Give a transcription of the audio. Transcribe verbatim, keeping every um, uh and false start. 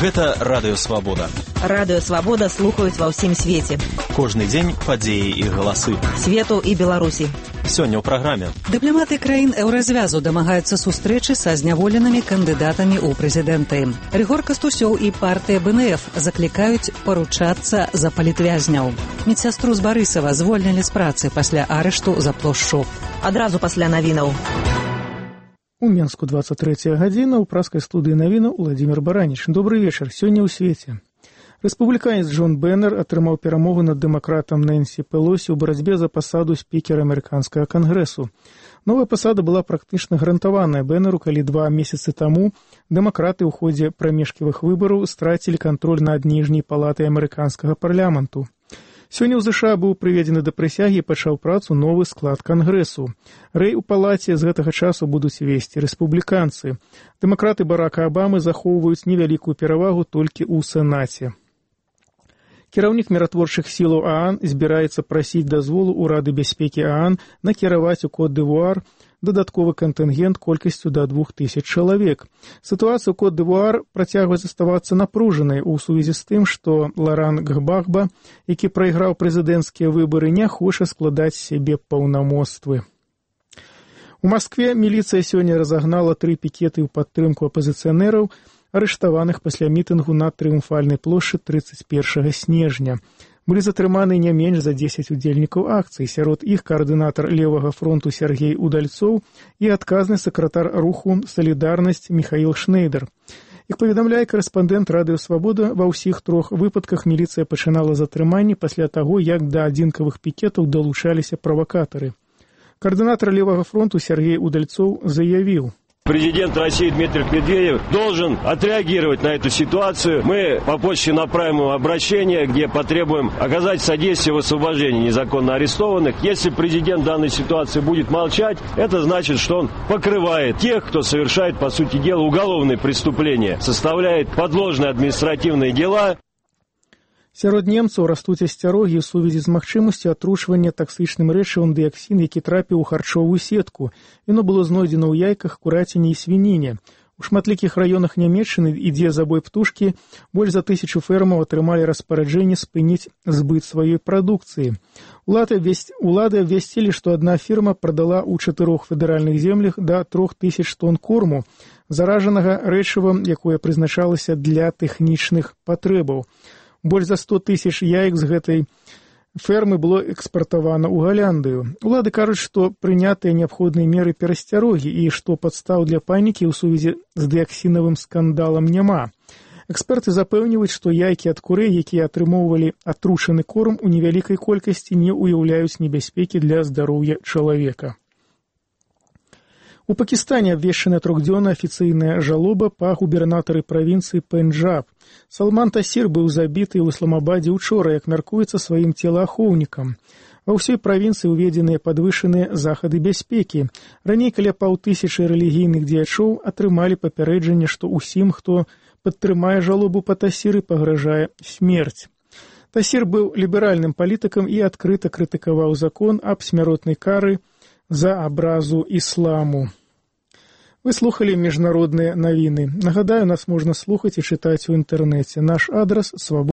Гэта Радыё Свабода. Радыё Свабода слухаюць ва ўсім свеце. Кожны дзень падзеі і галасы. Свету і Беларусі. Сёння ў праграме. Дыпламаты краін еўразвязу дамагаюцца сустрэчы са зняволенымі кандыдатамі ў прэзідэнты. Рыгор Кастусёў і партыя бэ эн эф заклікаюць паручацца за палітвязняў. Медсястру з Барысава звольнілі з працы пасля арышту за плошчу. Адразу пасля навінаў. У Менску двадцать третья гадзіна, у праскай студыі навінаў Владимир Бараніч. Добрый вечар. Сёння ў свеце. Рэспубліканец Джон Бэннер атрымаў перамогу над дэмакратам Нэнсі Пелосі ў барацьбе за пасаду спікера амерыканскага кангрэсу. Новая пасада была практычна гарантаваная Бэннеру, калі два месяцы таму дэмакраты ў ходзе прамежкавых выбараў страцілі кантроль над ніжняй палатай амерыканскага парламенту. Сёння ў ЗША быў прыведзены да прысягі і пачаў працу новы склад кангрэсу. Рэй у палаце з гэтага часу будуць весці рэспубліканцы. Дэмакраты Барака Абамы захоўваюць невялікую перавагу толькі ў Сенаце. Кіраўнік міратворчых сілаў ААН збіраецца прасіць дазволу ў Рады бяспекі ААН накіраваць у Кот-д'Івуар дадатковы кантынгент колькасцю да двух тысяч чалавек. Сітуацыя ў Кот-д'Івуар працягвае заставацца напружанай у сувязі з тым, што Ларан Гбагба, які прайграў прэзідэнцкія выбары, не хоча складаць сябе паўнамоцтвы. У Маскве міліцыя сёння разагнала тры пікеты ў падтрымку апазіцыянераў, арыштаваных пасля мітынгу на Трыумфальнай плошчы трыццаць першага снежня. Былі затрыманы не менш за дзесяць удзельнікаў акцыі, сярод іх каардынатар левага фронту Сергей Удальцоў і адказны сакратар руху «Салідарнасць» Міхаіл Шнейдер. Як паведамляе корэспандэнт Радыё Свабода, ва ўсіх трох выпадках міліцыя пачынала затрыманні пасля таго, як да адзінкавых пікетаў далучаліся правакатары. Каардынатар левага фронту Сергей Удальцоў заявіў: Президент России Дмитрий Медведев должен отреагировать на эту ситуацию. Мы по почте направим ему обращение, где потребуем оказать содействие в освобождении незаконно арестованных. Если президент в данной ситуации будет молчать, это значит, что он покрывает тех, кто совершает, по сути дела, уголовные преступления, составляет подложные административные дела. Сярод немцаў растуць асцярогі ў сувязі з магчымасцю атручвання таксычным рэчывам дыяксін, які трапіў у харчовую сетку. Яно было знойдзена ў яйках, кураціне і свініне. У шматлікіх раёнах Нямецчыны ідзе забой птушкі, больш за тысячу фермаў атрымалі распараджэнне спыніць збыт сваёй прадукцыі. Улады абвясцілі, што адна фірма прадала ў чатырох федэральных землях да трох тысяч тонн корму, заражанага рэчывам, якое прызначалася для тэхнічных патрэбаў. Больш за сто тысяч яек з гэтай фермы было экспартавана ў Галяндыю. Улады кажуць, што прынятыя неабходныя меры перасцярогі і што падстаў для панікі ў сувязі з дыяксінавым скандалам няма. Эксперты запэўніваюць, што яйкі ад курэй, якія атрымоўвалі атручаны корм, у невялікай колькасці не ўяўляюць небяспекі для здароўя чалавека. У Пакістане абвешчана трохдзённая афіцыйная жалоба па губернатары правінцыі Пенджаб. Салман Тасір быў забіты ў Ісламабадзе учора, як мяркуецца, сваім целаахоўнікам. Ва ўсёй правінцыі ўведзеныя падвышаныя захады бяспекі. Раней каля паўтысячы рэлігійных дзеячоў атрымалі папярэджанне, што ўсім, хто падтрымае жалобу па Тасіры, пагражае смерць. Тасір быў ліберальным палітыкам і адкрыта крытыкаваў закон аб смяротнай кары за абразу ісламу. Вы слухалі міжнародныя навіны. Нагадаю, нас можна слухаць і чытаць у інтэрнэце. Наш адрас — свабода.